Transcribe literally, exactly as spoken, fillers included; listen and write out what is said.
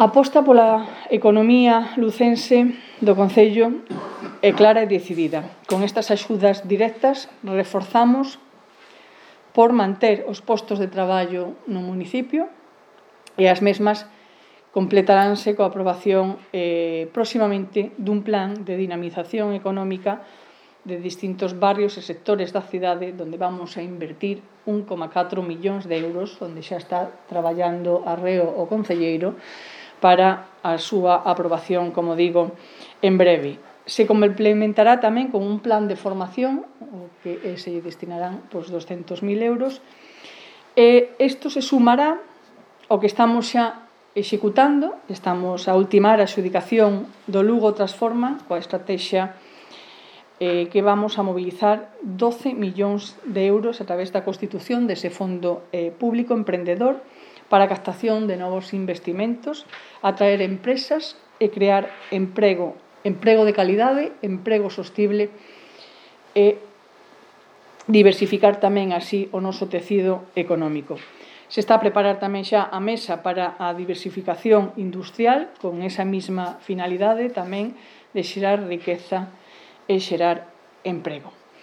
A aposta pola economía lucense do Concello é clara e decidida. Con estas axudas directas reforzamos por manter os postos de traballo no municipio e as mesmas completaránse coa aprobación eh, próximamente dun plan de dinamización económica de distintos barrios e sectores da cidade onde vamos a invertir un coma catro millóns de euros, onde xa está traballando arreo o concelleiro para a súa aprobación, como digo, en breve. Se complementará tamén con un plan de formación, o que se lle destinarán pois, doscentos mil euros, e isto se sumará ao que estamos xa executando, estamos a ultimar a adxudicación do Lugo Transforma coa estrategia eh, que vamos a mobilizar doce millóns de euros a través da constitución dese fondo eh, público emprendedor para a captación de novos investimentos, atraer empresas e crear emprego, emprego de calidade, emprego sostible e diversificar tamén así o noso tecido económico. Se está a preparar tamén xa a mesa para a diversificación industrial con esa mesma finalidade tamén de xerar riqueza e xerar emprego.